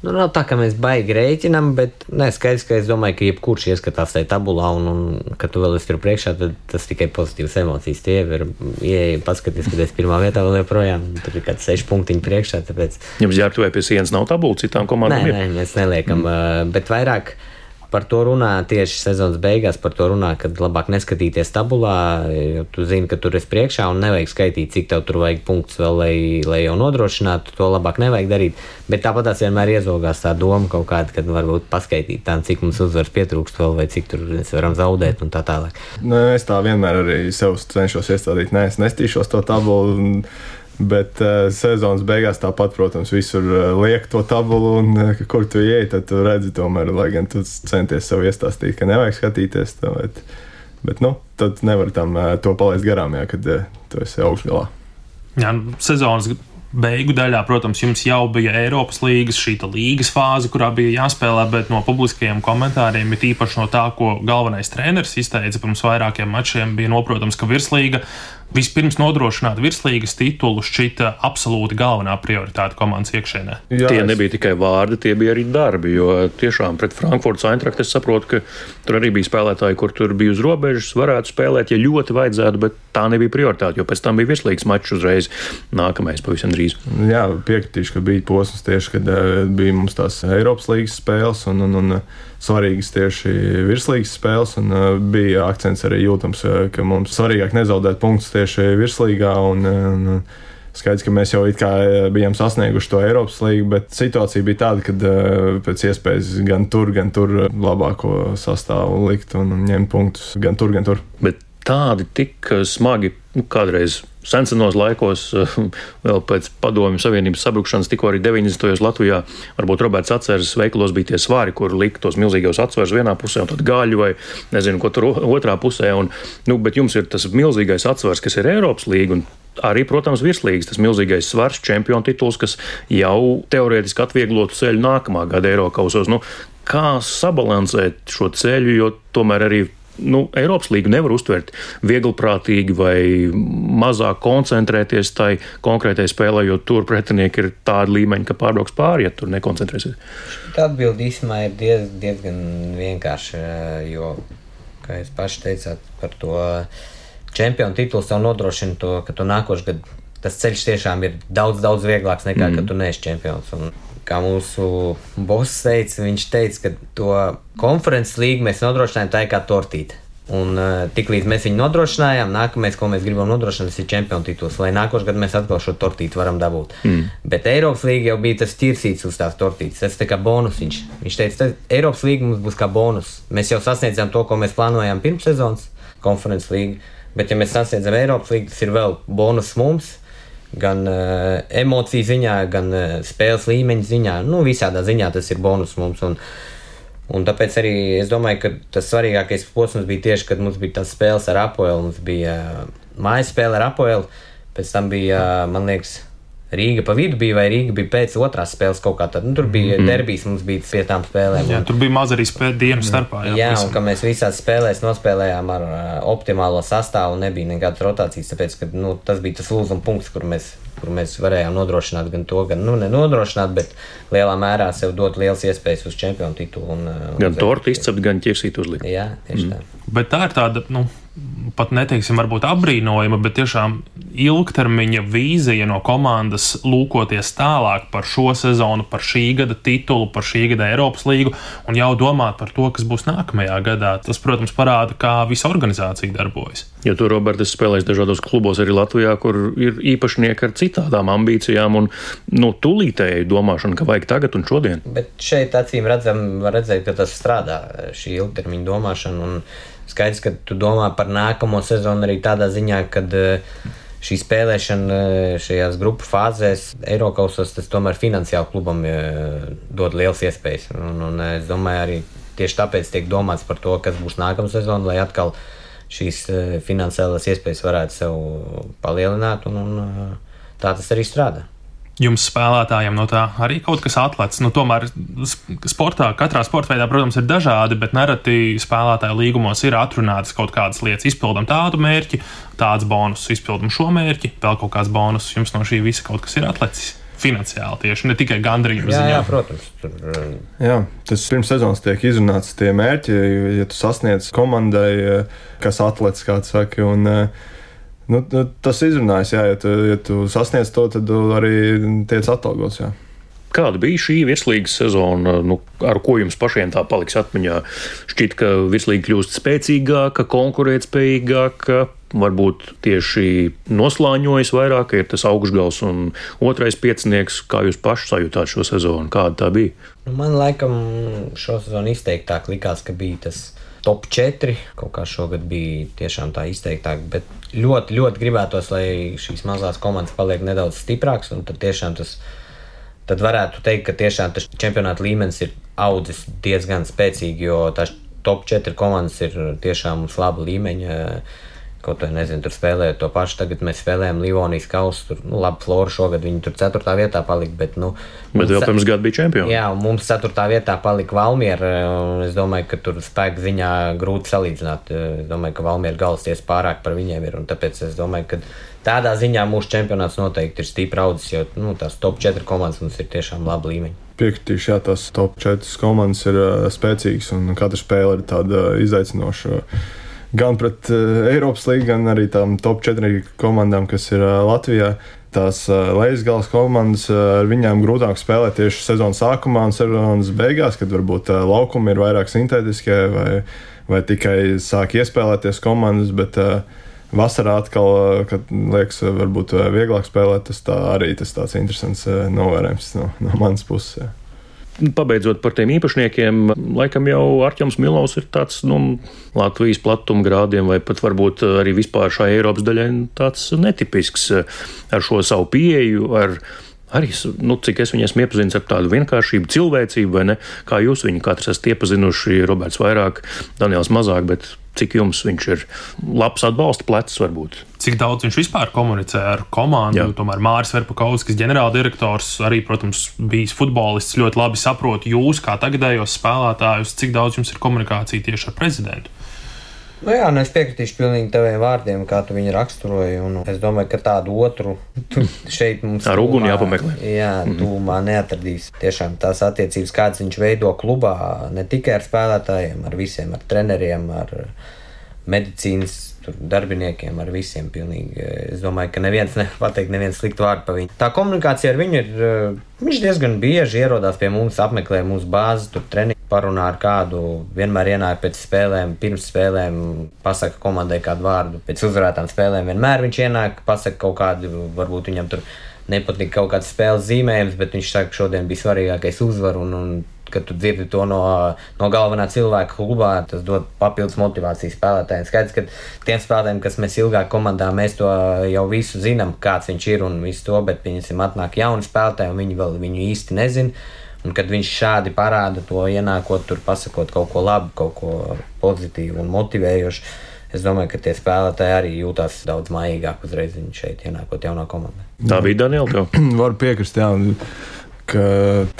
Nu, nav tā, ka mēs baigi rēķinām, bet ne, skaidrs, ka es domāju, ka jebkurš ieskatās tajā tabulā un, un kad tu vēl esi tur priekšā, tad tas tikai pozitīvas emocijas. Tie ir, ieeja, paskaties, kad esi pirmā vietā vēl joprojām, tur ir kāds seši punktiņi priekšā, tāpēc... Jums jārtuvē pie sienas nav tabula, citām komandām nē, ir? Nē, mēs neliekam, mm. bet vairāk par to runā tieši sezonas beigās, par to runā, kad labāk neskatīties tabulā, jo tu zini, ka tur esi priekšā un nevajag skaitīt, cik tev tur vajag punktus vēl, lai, lai jau nodrošinātu, to labāk nevajag darīt, bet tāpat tās vienmēr iezogās tā doma kaut kāda, kad varbūt paskaitīt tā, cik mums uzvaras pietrūkst vēl, vai cik tur mēs varam zaudēt un tā tālāk. Nu, es tā vienmēr arī sev cenšos iestādīt, nē, es nestīšos to tabulu, un... Bet uh, sezonas beigās tāpat, protams, visur uh, liek to tabulu, un uh, kur tu ieej, tad tu redzi tomēr, lai gan tu centies sev iestāstīt, ka nevajag skatīties to, bet, bet nu, tad nevar tam uh, to palaist garām, jā, kad uh, tu esi augšgalā. Jā, sezonas beigu daļā, protams, jums jau bija Eiropas līgas, šīta līgas fāze, kurā bija jāspēlē, bet no publiskajiem komentāriem, ir īpaši no tā, ko galvenais treneris izteica pirms vairākiem mačiem, bija noprotams, ka virslīga vispirms nodrošināt virslīgas titulu šķita absolūti galvenā prioritāte komandas iekšēnē. Jā, tie nebija tikai vārdi, tie bija arī darbi, jo tiešām pret Frankfurtas Eintracht es saprotu, ka tur arī bija spēlētāji, kur tur bija uz robežas, varētu spēlēt, ja ļoti vajadzētu, bet tā nebija prioritāte, jo pēc tam bija virslīgas mačs uzreiz nākamais pavisam drīz. Jā, piekritīšu, ka bija posms tieši, kad uh, bija mums tās Eiropas līgas spēles un, un, un svarīgas tieši virslīgas spēles, un uh, bija akcents arī jūtams, uh, ka mums svarīgāk nezaudēt punktus tieši virslīgā, un, un skaidrs, ka mēs jau it kā bijām sasnieguši to Eiropas līgu, bet situācija bija tāda, kad uh, pēc iespējas gan tur, gan tur labāko sastāvu likt un, un ņemt punktus gan tur, gan tur. Bet tādi tik smagi, nu, kādreiz sensenos laikos, vēl pēc Padomju Savienības sabrukšanas, tikko arī deviņdesmitajos Latvijā, varbūt Roberts atceras, veikalos bija tie svari, kur lika tos milzīgos atsvars vienā pusē un tad gaļu vai nezinu, ko tur otrā pusē. Un, nu, bet jums ir tas milzīgais atsvars, kas ir Eiropas līga un arī, protams, virslīgas, tas milzīgais svars, čempionu tituls, kas jau teorētiski atvieglotu ceļu nākamā gada Eirokausos. Nu, kā sabalansēt šo ceļu, jo tomēr arī nu, Eiropas līgu nevar uztvert vieglprātīgi vai mazāk koncentrēties tai konkrētai spēlē, jo tur pretinieki ir tādi līmeņi, ka pārbrauks pāri, ja tur nekoncentrēsies. Tā atbildi īsumā ir diez, diezgan vienkārši, jo, kā jūs paši teicāt par to čempionu tituls tev nodrošina to, ka tu nākošu gadu tas ceļš tiešām ir daudz, daudz vieglāks nekā, mm. kad tu neesi čempions. Un kā mūsu boss teica, viņš teica, ka to konferences līgu mēs nodrošinājām tā kā tortīte. Un uh, tik līdz mēs viņu nodrošinājām, nākamais, ko mēs gribam nodrošināt, ir čempionu tituls, lai nākošu gadu mēs atkal šo tortīti varam dabūt. Mm. Bet Eiropas līga jau bija tas ķirsīts uz tās tortītes, tas tā kā bonus viņš. Viņš teica, ka Eiropas līga mums būs kā bonus. Mēs jau sasniedzām to, ko mēs plānojām pirms sezonas, konferences līga. Bet, ja mēs sasniedzam Eiropas līgu, tas ir vēl bonus mums, gan uh, emociju ziņā, gan uh, spēles līmeņa ziņā. Nu, visādā ziņā tas ir bonus mums. Un, un tāpēc arī es domāju, ka tas svarīgākais posms bija tieši, kad mums bija tās spēles ar Apoelu. Mums bija uh, mājas spēle ar Apoelu, pēc tam bija, uh, man liekas, Rīga pa vidu bija, vai Rīga bija pēc otrās spēles kaut kā tad. Nu, tur bija mm. derbijas, mums bija pie tām spēlēm. Jā, tur bija maz arī spēle dienu starpā. Jā, jā un ka mēs visās spēlēs nospēlējām ar uh, optimālo sastāvu, nebija nekādas rotācijas, tāpēc, ka nu, tas bija tas lūzuma punkts, kur mēs, kur mēs varējām nodrošināt gan to, gan, nu, nenodrošināt, bet lielā mērā sev dot liels iespējas uz čempionu titulu. Un, uh, gan tortu izcept, gan ķirsīt uzlikt. Jā, tieši mm. tā. Bet tā ir tāda, nu, pat neteiksim, varbūt apbrīnojama, bet tiešām ilgtermiņa vīzija no komandas lūkoties tālāk par šo sezonu, par šī gada titulu, par šī gada Eiropas līgu un jau domāt par to, kas būs nākamajā gadā. Tas, protams, parāda, kā visa organizācija darbojas. Jo tu, Robert, esi spēlējis dažādos klubos arī Latvijā, kur ir īpašnieki ar citādām ambīcijām un nu, tūlītēji domāšana, ka vajag tagad un šodien. Bet šeit acīm redzam, var redzēt, ka tas strādā, šī ilgtermiņa domāšana un skaidrs, ka tu domā par nākamo sezonu arī tādā ziņā, kad šī spēlēšana šajās grupu fāzēs Eirokausos, tas tomēr finansiāli klubam dod liels iespējas. Un, un es domāju, arī tieši tāpēc tiek domāts par to, kas būs nākamā sezona, lai atkal šīs finansiālās iespējas varētu sev palielināt, un, un tā tas arī strādā. Jums spēlētājiem no tā arī kaut kas atlec. Nu, tomēr sportā, katrā sporta veidā, protams, ir dažādi, bet nereti spēlētāju līgumos ir atrunātas kaut kādas lietas. Izpildam tādu mērķi, tāds bonus, izpildam šo mērķi, vēl kaut kāds bonus. Jums no šī visa kaut kas ir atlecis finansiāli tieši, ne tikai gandrījuma ziņā. Jā, jā, protams. Tur... Jā, tas pirms sezonas tiek izrunāts tie mērķi, ja tu sasniedz komandai, kas atlec, kāds saka, un nu, tas izrunājas, jā, ja tu, ja tu sasniedz to, tad arī tiec atalgots, jā. Kāda bija šī virslīgas sezona, nu, ar ko jums pašiem tā paliks atmiņā? Šķiet, ka virslīga kļūst spēcīgāka, konkurētspējīgāka, varbūt tieši noslāņojas vairāk, ka ir tas augšgals un otrais piecinieks. Kā jūs paši sajūtāt šo sezonu? Kāda tā bija? Man laikam šo sezonu izteiktāk likās, ka bija tas top četri, kaut kā šogad bija tiešām tā izteiktāk, bet ļoti, ļoti gribētos, lai šīs mazās komandas paliek nedaudz stiprāks, un tad tiešām tas, tad varētu teikt, ka tiešām tas čempionāta līmenis ir audzis diezgan spēcīgi, jo tās top četri komandas ir tiešām uz laba līmeņa. Kaut vai nezinu, tur spēlējot to pašu, tagad mēs spēlējam Livonijas kausu, tur, nu, labi, Flora šogad viņi tur ceturtā vietā palika, bet, nu... Bet vēl pirms gada bija čempioni. Jā, un mums ceturtā vietā palika Valmiera, un es domāju, ka tur spēku ziņā grūti salīdzināt. Es domāju, ka Valmiera galvasties pārāk par viņiem ir, un tāpēc es domāju, ka tādā ziņā mūsu čempionāts noteikti ir stipri audzis, jo, nu, tās top četri komandas mums ir tiešām laba līmeņa. Piekritīšu, jā, tās top četras komandas ir uh, spēcīgas, un katra spēle ir tāda izaicinoša. Gan pret uh, Eiropas līgu, gan arī tām top četri komandām, kas ir uh, Latvijā. Tās uh, lejasgalas komandas, uh, ar viņām grūtāk spēlēt tieši sezonas sākumā un sezonas beigās, kad varbūt uh, laukumi ir vairāk sintētiskie vai, vai tikai sāk iespēlēties komandas, bet uh, vasarā atkal, uh, kad liekas, uh, varbūt uh, vieglāk spēlēt, tas tā arī tas tāds interesants uh, novērojums no, no manas puses. Jā. Pabeidzot par tiem īpašniekiem, laikam jau Artjoms Milovs ir tāds, nu, Latvijas platuma grādiem vai pat varbūt arī vispār šai Eiropas daļai tāds netipisks ar šo savu pieeju, ar arī, nu, cik es viņu esmu iepazinis ar tādu vienkāršību, cilvēcību, vai ne? Kā jūs viņu katrs esat iepazinuši, Roberts vairāk, Daniels mazāk, bet cik jums viņš ir labs atbalsta plecs varbūt? Cik daudz viņš vispār komunicē ar komandu? Jā. Tomēr Māris Verpakovskis, ģenerāldirektors, arī, protams, bijis futbolists, ļoti labi saprot jūs kā tagadējos spēlētājus. Cik daudz jums ir komunikācija tieši ar prezidentu? Nu jā, nu es piekritīšu pilnīgi taviem vārdiem, kā tu viņu raksturoji, un es domāju, ka tādu otru šeit mums ar uguni jāpameklē. Jā, tūmā neatradīs. Tiešām tās attiecības, kādas viņš veido klubā, ne tikai ar spēlētājiem, ar visiem, ar treneriem, ar medicīnas darbiniekiem, ar visiem pilnīgi. Es domāju, ka neviens nevar pateikt neviens sliktu vārdu par viņu. Tā komunikācija ar viņu ir, viņš diezgan bieži ierodās pie mums, apmeklē mūsu bāzi, tur treniņu, parunā ar kādu, vienmēr ienāk pēc spēlēm, pirms spēlēm, pasaka komandai kādu vārdu, pēc uzvarētām spēlēm vienmēr viņš ienāk, pasaka kaut kādu, varbūt viņam tur nepatīk kaut kāds spēles zīmējums, bet viņš saka, šodien bija svarīgākais uzvar, un, un kad tu dzirdi to no, no galvenā cilvēka klubā, tas dod papildus motivāciju spēlētājiem. Skaidrs, ka tiem spēlētājiem, kas mēs ilgāk komandā, mēs to jau visu zinām, kāds viņš ir un visu to, bet viņam atnāk jauni spēlētāji, un viņi vēl viņu īsti nezina. Un kad viņš šādi parāda to, ienākot tur, pasakot kaut ko labu, kaut ko pozitīvu un motivējošu, es domāju, ka tie spēlētāji arī jūtās daudz mājīgāk uzreiz viņi šeit ienākot jaunā komandā. Tā bija Daniela tev? Varu piekrist, jā. Ka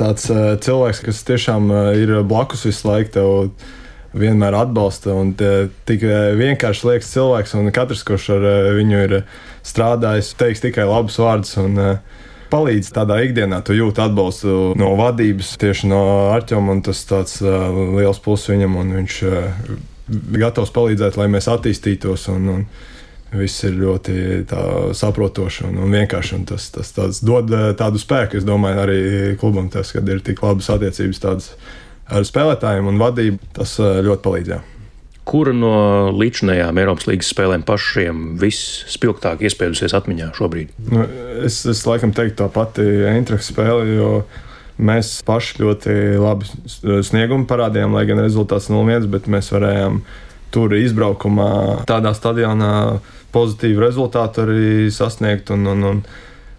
tāds cilvēks, kas tiešām ir blakus visu laiku, tev vienmēr atbalsta un tik vienkārši liekas cilvēks, un katrs, kurš ar viņu ir strādājis, teiks tikai labus vārdus un palīdz tādā ikdienā. Tu jūti atbalstu no vadības, tieši no Artjoma, un tas tāds liels pluss viņam, un viņš gatavs palīdzēt, lai mēs attīstītos, un, un viss ir ļoti tā saprotoši un, un vienkārši, un tas, tas tāds dod tādu spēku, es domāju, arī klubam tas, kad ir tik labas attiecības tādas ar spēlētājiem un vadību, tas ļoti palīdzēja. Kura no līdzinējām Eiropas līgas spēlēm pašiem visspilgtāk iespējusies atmiņā šobrīd? Nu, es, es laikam teiktu tā pati Eintrachts spēle, jo mēs paši ļoti labi sniegumu parādījām, lai gan rezultāts nulle viens, bet mēs varējām tur izbraukumā tādā stadionā pozitīvu rezultātu arī sasniegt un, un, un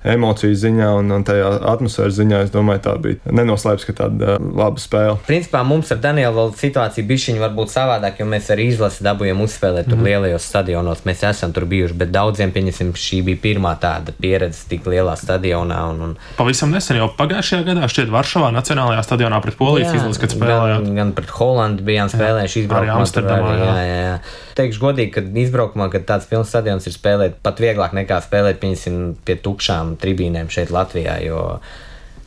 emociju ziņā un, un tajā atmosfēras ziņā, es domāju, tā bija nenoslēpts, ka tāda uh, laba spēle. Principā mums ar Danielu vēl situācija bišķiņa varbūt savādāk, jo mēs arī izlasi dabūjam uzspēlēt tur mm. lielajos stadionos, mēs esam tur bijuši, bet daudziem, pieņemsim, šī bija pirmā tāda pieredze tik lielā stadionā. Un, un... Pavisam nesen jau pagājušajā gadā šķiet Varšavā Nacionālajā stadionā pret Polijas izlasi, kad spēlējāt. Gan, gan pret Holandu bijām spēlējuši izbraukumā. Arī Amsterdamā, jā. Jā, jā. Teikšu godīgi, ka izbraukumā, kad tāds pilns stadions ir spēlēt, pat vieglāk nekā spēlēt, pieņemsim, pie tukšām tribīnēm šeit Latvijā, jo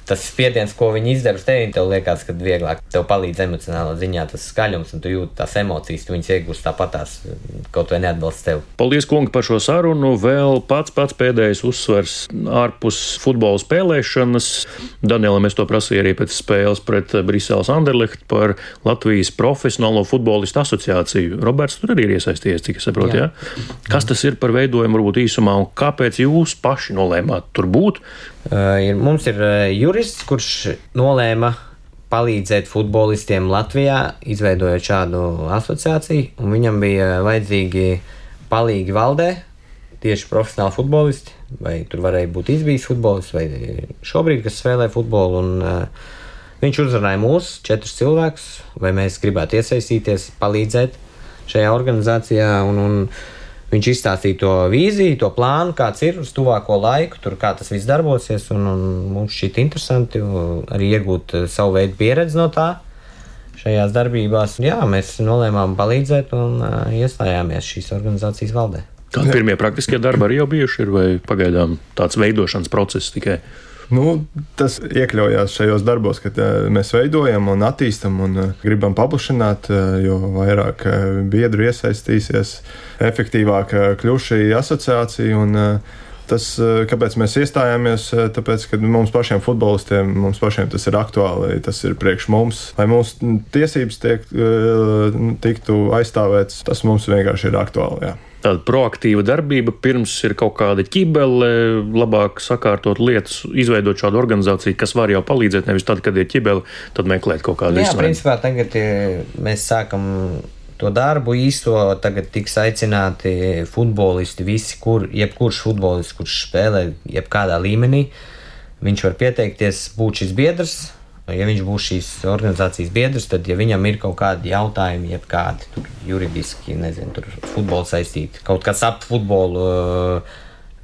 tas spiediens, ko viņi izdara uz tevi, tev liekas, ka vieglāk tev palīdz emocionālā ziņā tas skaļums, un tu jūti tās emocijas, tu viņas iegūst tāpatās, kaut vai neatbalsts tev. Paldies, kungi, par šo sarunu. Vēl pats pats pēdējais uzsvers ārpus futbola spēlēšanas. Danielam es to prasīju arī pēc spēles pret Briseles Anderlecht par Latvijas profesionālo futbolistu asociāciju. Roberts tur arī ir iesaistījies, cik es saprotu, jā? Jā? Kas tas ir par veidojumu, varbūt īsumā, un kāpēc jūs paši nolēmāt tur būt? Uh, ir, mums ir uh, jurists, kurš nolēma palīdzēt futbolistiem Latvijā, izveidojot šādu asociāciju, un viņam bija vajadzīgi palīgi valdē, tieši profesionāli futbolisti, vai tur varēja būt izbijis futbolists, vai šobrīd, kas spēlē futbolu, un uh, viņš uzrunāja mūs, četrus cilvēkus, vai mēs gribētu iesaistīties, palīdzēt šajā organizācijā, un, un viņš izstāstīja to vīziju, to plānu, kāds ir uz tuvāko laiku, tur kā tas viss darbosies, un, un mums šķiet interesanti arī iegūt savu veidu pieredzi no tā šajās darbībās. Jā, mēs nolēmām palīdzēt un uh, iestājāmies šīs organizācijas valdē. Kādi pirmie praktiskie darbi arī jau bijuši ir, vai pagaidām tāds veidošanas process tikai? Nu, tas iekļaujās šajos darbos, kad uh, mēs veidojam un attīstam un uh, gribam paplašināt, uh, jo vairāk uh, biedru iesaistīsies, efektīvāk uh, kļūs šī asociācija. Un, uh, tas, uh, kāpēc mēs iestājāmies, uh, tāpēc, ka mums pašiem futbolistiem, mums pašiem tas ir aktuāli, tas ir priekš mums. Lai mūsu tiesības tiek, uh, tiktu aizstāvētas, tas mums vienkārši ir aktuāli, jā. tāda proaktīva darbība, pirms ir kaut kāda ķibele, labāk sakārtot lietas, izveidot šādu organizāciju, kas var jau palīdzēt, nevis tad, kad ir ķibele, tad meklēt kaut kādu risinājumu. Jā, izsvēru. principā tagad mēs sākam to darbu īsto, tagad tiks aicināti futbolisti, visi, kur, jebkurš futbolists, kurš spēlē jebkādā līmenī, viņš var pieteikties būt šis biedrs. Ja viņš būs šīs organizācijas biedrs, tad, ja viņam ir kaut kādi jautājumi, jebkādi tur juridiski, nezinu, tur futbolu saistīti, kaut kas ap futbolu,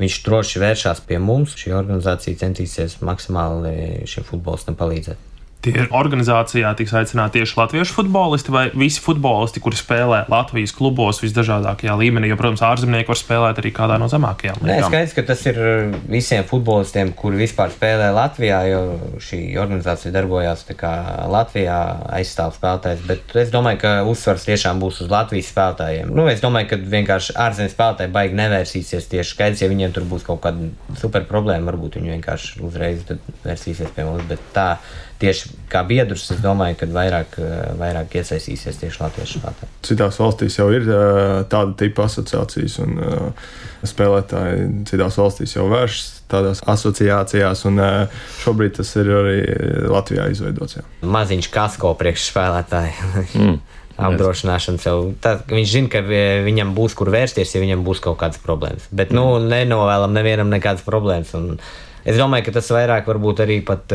viņš droši vēršās pie mums. Šī organizācija centīsies maksimāli šiem futbolistam palīdzēt. Tie organizācijā tiks aicināti tieši latviešu futbolisti vai visi futbolisti, kuri spēlē Latvijas klubos visdažādākajā līmenī, jo, protams, ārzemnieki var spēlēt arī kādā no zemākajām līgām. Nē, skaidrs, ka tas ir visiem futbolistiem, kuri vispār spēlē Latvijā, jo šī organizācija darbojās tā kā Latvijā aizstāv spēlētājs, bet es domāju, ka uzsvars tiešām būs uz Latvijas spēlētājiem. Nu, es domāju, ka vienkārši ārzemju spēlētāji baigi nevērsīsies tieši skaidrs, ja viņiem tur būs kaut kāda super problēma, varbūt viņi vienkārši uzreiz vērsīsies pie mums, bet tā tieši kā biedrs, es domāju, ka vairāk, vairāk iesaistīsies tieši latviešu spēlētāji. Citās valstīs jau ir tāda tipa asociācijas, un spēlētāji citās valstīs jau vēršas tādās asociācijās, un šobrīd tas ir arī Latvijā izveidots. Jā. Maziņš kasko priekš spēlētāji. Mm. Apdrošināšanas jau. Tad, viņš zina, ka viņam būs kur vērsties, ja viņam būs kaut kādas problēmas. Bet, nu, nenovēlam nevienam nekādas problēmas. Un es domāju, ka tas vairāk varbūt arī pat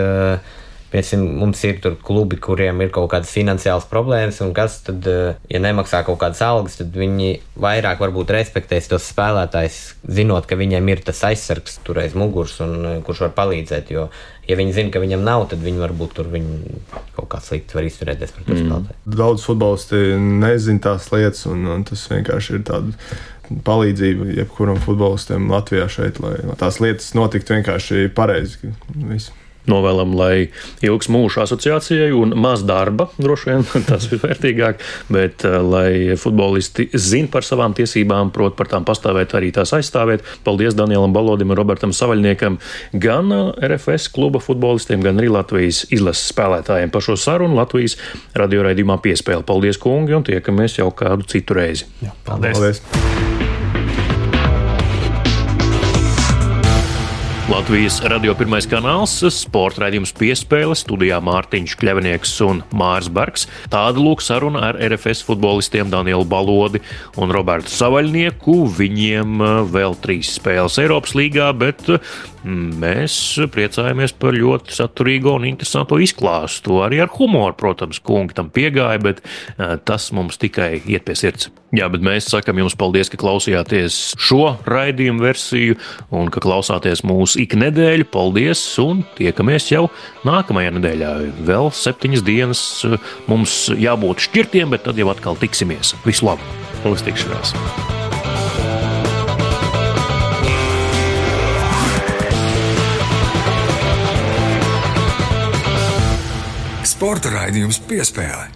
Piemēram, mums ir tur klubi, kuriem ir kaut kādas finansiālas problēmas, un kas tad, ja nemaksā kaut kādas algas, tad viņi vairāk varbūt respektēs tos spēlētājus, zinot, ka viņiem ir tas aizsargs tur aiz muguras, un kurš var palīdzēt, jo, ja viņi zina, ka viņam nav, tad viņi varbūt tur viņi kaut kā slikti var izturēties par to mm. spēlētāju. Daudz futbolisti nezin tās lietas, un, un tas vienkārši ir tāda palīdzība jebkuram futbolistam Latvijā šeit, lai tās lietas notiktu vienkārši pareizi. Visu. Novēlam, lai ilgs mūžs asociācijai un maz darba, droši vien, tas ir vērtīgāk, bet lai futbolisti zina par savām tiesībām, prot par tām pastāvēt, arī tās aizstāvēt. Paldies Danielam Balodim un Robertam Savaļniekam, gan R F S kluba futbolistiem, gan arī Latvijas izlases spēlētājiem par šo sarunu Latvijas radioraidījumā Piespēle. Paldies, kungi, un tiekamies jau kādu citu reizi. Jā, paldies! Paldies. Latvijas radio pirmais kanāls, sporta raidījums Piespēle, studijā Mārtiņš Kļavinieks un Māris Bergs. Tāda lūk saruna ar R F S futbolistiem Danielu Balodi un Robertu Savaļnieku. Viņiem vēl trīs spēles Eiropas līgā, bet mēs priecājamies par ļoti saturīgo un interesanto izklāstu. Arī ar humoru, protams, kungi tam piegāja, bet tas mums tikai iet pie sirds. Jā, bet mēs sakam jums paldies, ka klausījāties šo raidījumu versiju un ka klausāties mūs ik nedēļu. Paldies un tiekamies jau nākamajā nedēļā. Vēl septiņas dienas mums jābūt šķirtiem, bet tad jau atkal tiksimies. Visu labu! Uz tikšanās! Sporta raidījums Piespēle.